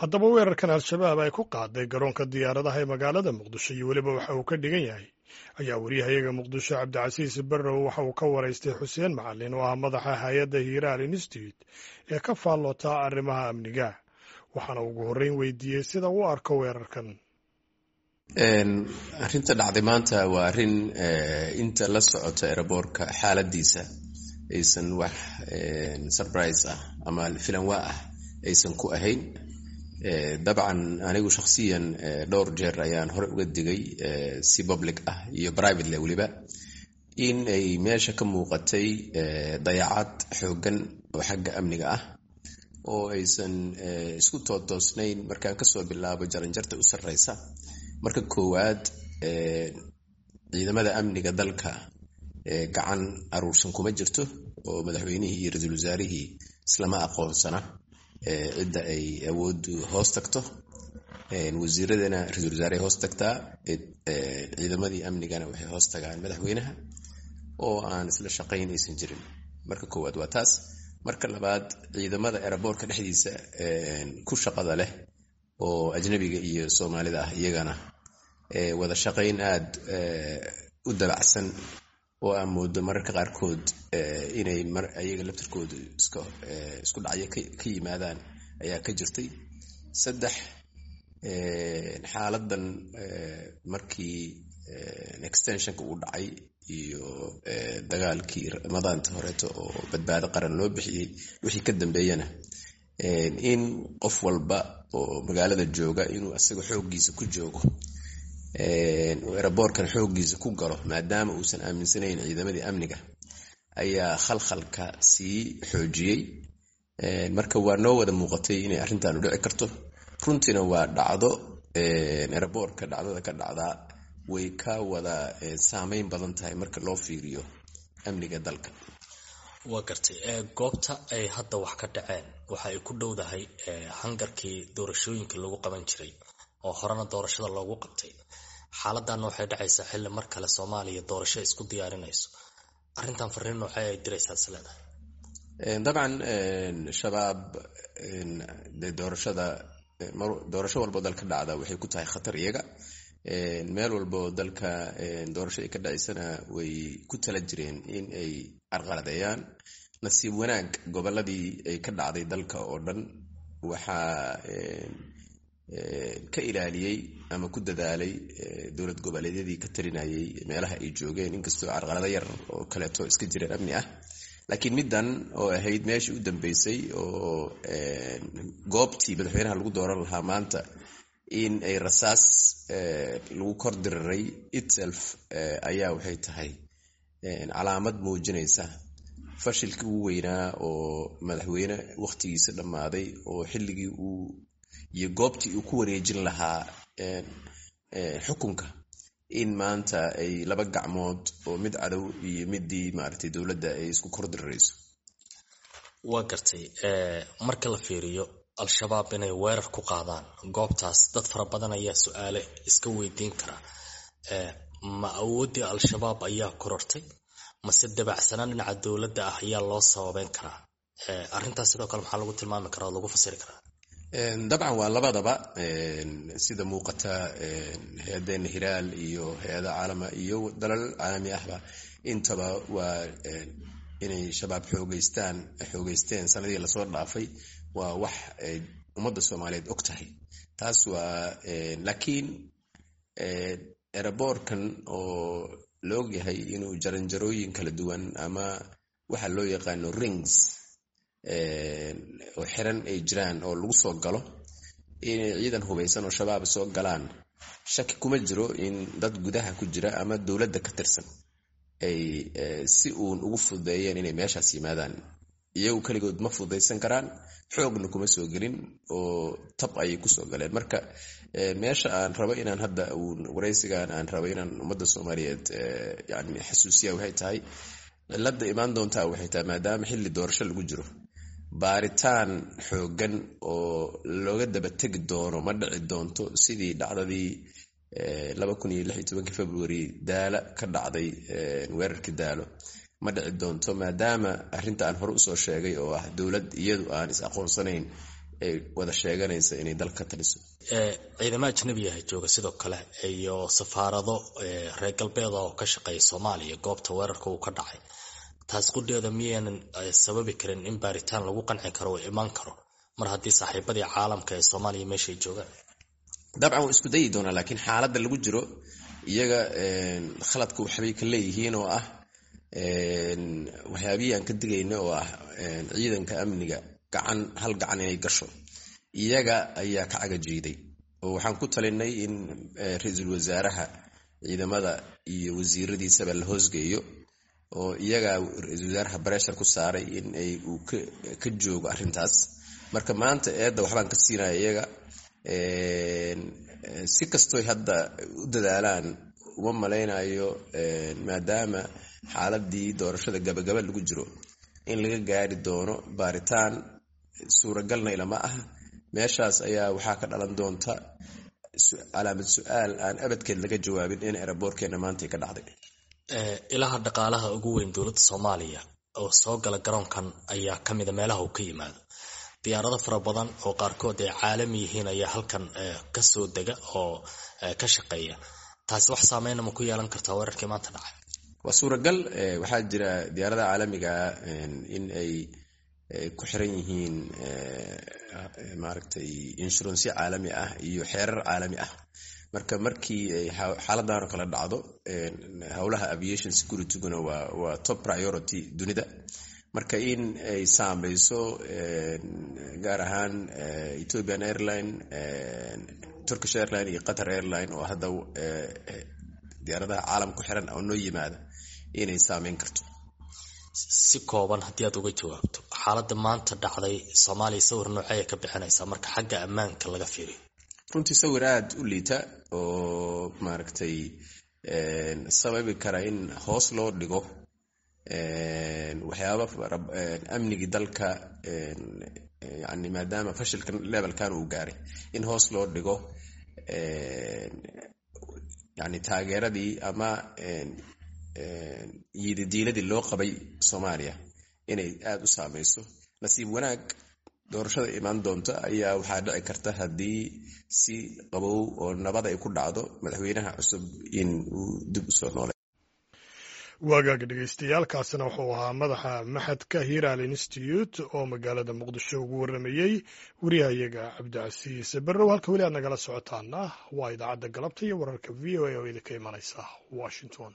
Haddaba, weerarkan Al-Shabaab ay ku qaaday garoonka diyaaradaha ee magaalada Muqdisho iyo weliba waxa uu ka dhigan yahay ayaa wariyahayaga Muqdisho Cabdicasiis Barrow waxa uu ka waraystay Xuseen Macalin, oo ah madaxa hay-adda Hiiraal Institute ee ka faalloota arrimaha amniga, waxaana ugu horreyn weydiiyey sida uu arko weerarkan. Arrinta dhacday maanta waa arrin inta la socota airboortka xaaladiisa aysan wax surprise ah ama filanwaa ah aysan ku ahayn. Dabcan, anigu shakhsiyan dhowr jeer ayaan hore uga digay, si public ah iyo privately weliba, in ay meesha ka muuqatay dayacad xooggan oo xagga amniga ah oo aysan isku tootoosnayn, markaan kasoo bilaabo jaranjarta u sarreysa. Marka koowaad, ciidamada amniga dalka gacan aruursan kuma jirto, oo madaxweynihii iyo ra-iisul wasaarihii islama aqoonsana cidda ay awooddu hoos tagto. Wasiiradana ra-isul wasaarahay hoos tagtaa, ciidamadii amnigana waxay hoos tagaan madaxweynaha, oo aan isla shaqayn aysan jirin. Marka koowaad waa taas. Marka labaad, ciidamada airboortka dhexdiisa ku shaqada leh oo ajnabiga iyo Soomaalida ah, iyagana wada shaqayn aad u dabacsan oo aan moodo mararka qaarkood inay ayaga laftirkoodu isku dhacyo ka yimaadaan ayaa ka jirtay. Saddex, xaaladan markii extensionka uu dhacay iyo dagaalkii Ramadaanta horeeto oo Badbaado Qaran loo bixiyey wixii ka dambeeyana, in qof walba oo magaalada jooga inuu asaga xooggiisa ku joogo, airboortkan xooggiisa ku galo, maadaama uusan aaminsanayn ciidamadii amniga, ayaa khalkhalka sii xoojiyey. Marka waa noo wada muuqatay inay arrintan u dhici karto. Runtiina waa dhacdo airboortka dhacdada ka dhacdaa way ka wada saameyn badan tahay marka loo fiiriyo amniga dalka. Waa gartay. Goobta ay hadda wax ka dhaceen waxa ay ku dhowdahay hangarkii doorashooyinka lagu qaban jiray oo horena doorashada loogu qabtay. Xaaladana waxay dhacaysaa xilli mar kale Soomaaliya doorasho isku diyaarinayso. Arrintan fariin noocee ay diraysaa is leedahay? Dabcan, Shabaab de doorashada, doorasho walbo dalka dhacda waxay ku tahay khatar iyaga. Meel walbo dalka doorasho ay ka dhacaysana way ku tala jireen in ay carqaladeeyaan. Nasiib wanaag, gobolladii ay ka dhacday dalka oo dhan waxaa ka ilaaliyey ama ku dadaalay dowlad goboleedyadii ka talinayay meelaha ay joogeen, inkastoo carqalado yar oo kaleeto iska jireen amni ah. Laakiin middan oo ahayd meeshii u dambeysay oo goobtii madaxweynaha lagu dooran lahaa maanta in ay rasaas lagu kor diriray itself ayaa waxay tahay calaamad muujinaysa fashilkii ugu weynaa oo madaxweyne wakhtigiisa dhammaaday oo xilligii uu iyo goobtii uu ku wareejin lahaa xukunka in maanta ay laba gacmood oo mid cadow iyo midii maaragtay dowladda ay isku kor dirirayso. Waa gartay. Marka la fiiriyo Al-Shabaab inay weerar ku qaadaan goobtaas, dad fara badan ayaa su-aale iska weydiin kara: ma awooddii Al-Shabaab ayaa korortay, mase dabacsanaan dhinaca dowladda ah ayaa loo sababeyn karaa arrintaas? Sidoo kale, maxaa lagu tilmaami karaa oo lagu fasiri karaa? Dabcan, waa labadaba. Sida muuqata, hay-adeena Hiraal iyo hay-ada caalama iyo dalal caalami ahba intaba waa inay Shabaab xoogeystaan, xoogeysteen sanadihii lasoo dhaafay, waa wax ay ummadda Soomaaliyeed og tahay taas. Waa laakiin airboortkan oo la ogyahay inuu jaranjarooyin kala duwan ama waxa loo yaqaano rings oo xiran ay jiraan oo lagu soo galo, inay ciidan hubaysan oo Shabaab soo galaan, shaki kuma jiro in dad gudaha ku jira ama dowladda ka tirsan ay si uun ugu fududeeyeen inay meeshaas yimaadaan. Iyagu keligood ma fududaysan karaan, xoogna kuma soo gelin oo tab ayay kusoo galeen. Marka meesha aan rabo inaan hadda waraysigan aan rabo inaan ummadda Soomaaliyeed yani xasuusiya waxay tahay, cilada imaan doontaa waxay tahay, maadaama xilli doorasho lagu jiro, baaritaan xooggan oo looga daba tegi doono ma dhici doonto sidii dhacdadii 2016-kii February Daala ka dhacday, weerarkii Daalo ma dhici doonto, maadaama arrinta aan hore usoo sheegay oo ah dowlad iyadu aan is aqoonsanayn Ay wada sheeganaysa inay dalka taliso. Ciidamo ajnabiyaha jooga sidoo kale iyo safaarado reer galbeeda oo ka shaqeeya Soomaaliya goobta weerarka uu ka dhacay. Taas qudheeda miyaynan sababi karin in baaritaan lagu qanci karo oo imaan karo, mar haddii saaxiibadii caalamka ee Soomaaliya meeshay joogaan? Dabcan waa isku dayi doonaa, laakiin xaaladda lagu jiro iyaga khaladka waxbay ka leeyihiin, oo ah waxyaabihii aan ka digayna, oo ah ciidanka amniga gacan hal gacan inay gasho. Iyaga ayaa ka cagajiiday, oo waxaan ku talinay in ra-iisul wasaaraha ciidamada iyo wasiiradiisaba la hoosgeeyo, oo iyaga ra-iisul wasaaraha pressure ku saaray in ay uu ka joogo arrintaas. Marka maanta eedda waxbaan ka siinaya iyaga. Si kastoy hadda u dadaalaan, uma malaynayo, maadaama xaaladii doorashada gabagaba lagu jiro, in laga gaari doono baaritaan. Suuragalna ilama ah. Meeshaas ayaa waxaa ka dhalan doonta calaamad su-aal aan abadkeed laga jawaabin in airportkeena maanta ka dhacday. Ilaha dhaqaalaha ugu weyn dowladda Soomaaliya oo soo gala garoonkan ayaa ka mida meelaha uu ka yimaado. Diyaarado fara badan oo qaarkood ay caalami yihiin ayaa halkan kasoo dega oo ka shaqeeya. Taasi wax saameyna ma ku yeelan kartaa weerarkii maanta dhacay? Waa suuragal. Waxaa jira diyaaradaha caalamiga in ay ku xiran yihiin, maaragtay, insurance-yo caalami ah iyo xeerar caalami ah. Marka markii ay xaaladan oo kale dhacdo, howlaha aviation securityguna waa top priority dunida. Marka in ay saameyso, gaar ahaan Ethiopian Airline, Turkish Airline iyo Qatar Airline, oo hadda diyaaradaha caalam ku xiran oo noo yimaada, inay saameyn karto. Si kooban haddii aad uga jawaabto, xaaladda maanta dhacday Soomaaliya sawir noocee ka bixinaysaa marka xagga ammaanka laga fiiriyo? Runtii sawir aada u liita oo, maaragtay, sababi kara in hoos loo dhigo waxyaaba amnigii dalka, yani maadaama fashilkan levelkan uu gaaray, in hoos loo dhigo, yani taageeradii ama yididiiladii loo qabay Soomaaliya inay aada u saameyso. Nasiib wanaag, doorashada imaan doonta ayaa waxaa dhici karta, haddii si qabow oo nabad ay ku dhacdo, madaxweynaha cusub in uu dib usoo noolay. Waagaaga dhegeystayaal, kaasina wuxuu ahaa madaxa machadka Hiral Institute oo magaalada Muqdisho ugu waramayey wariyahayaga Cabdicasiis Barrow. Halka weli aad nagala socotaana waa idaacadda galabta iyo wararka VOA oo idinka imanaysa Washington.